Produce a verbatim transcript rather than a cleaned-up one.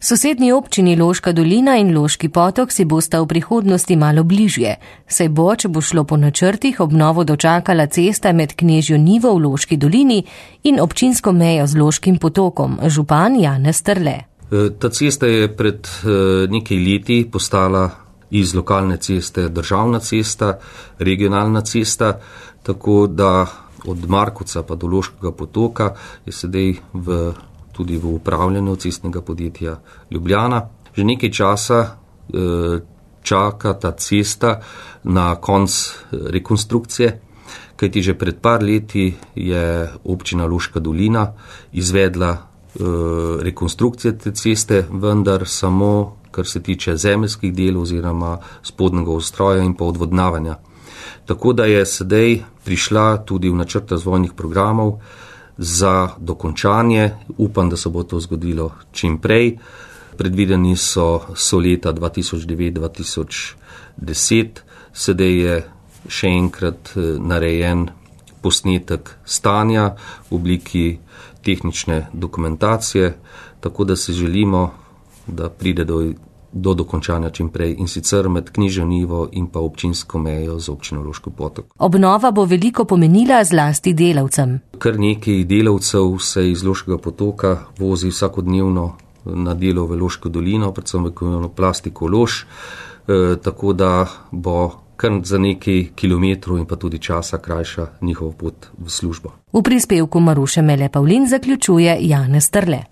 Sosednji občini Loška dolina in Loški potok si bosta v prihodnosti malo bližje, saj bo, če bo šlo po načrtih, obnovo dočakala cesta med Knežjo Nivo v Loški dolini in občinsko mejo z Loškim potokom, župan Janez Strle. Ta cesta je pred nekaj leti postala iz lokalne ceste državna cesta, regionalna cesta, tako da od Markovca pa do Loškega potoka je sedaj v tudi v upravljanju cestnega podjetja Ljubljana. Že nekaj časa e, čaka ta cesta na konc rekonstrukcije, kajti že pred par leti je občina Loška dolina izvedla e, rekonstrukcije te ceste, vendar samo, kar se tiče zemeljskih delov oziroma spodnjega ustroja in pa odvodnavanja. Tako da je sedaj prišla tudi v načrt razvojnih programov za dokončanje. Upam, da se bo to zgodilo čim prej. Predvideni so, so leta dva tisoč devet do dva tisoč deset. Sedaj je še enkrat narejen posnetek stanja v obliki tehnične dokumentacije, tako da si želimo, da pride do do dokončanja čim prej in sicer med Knežjo Nivo in pa občinsko mejo z občino Loški potok. Obnova bo veliko pomenila zlasti delavcem. Kar nekaj delavcev se iz Loškega potoka vozi vsakodnevno na delo v Loško dolino, predvsem v plastiko Loš, e, tako da bo kar za nekaj kilometrov in pa tudi časa krajša njihov pot v službo. V prispevku Maruše Mele Pavlin zaključuje Janez Strle.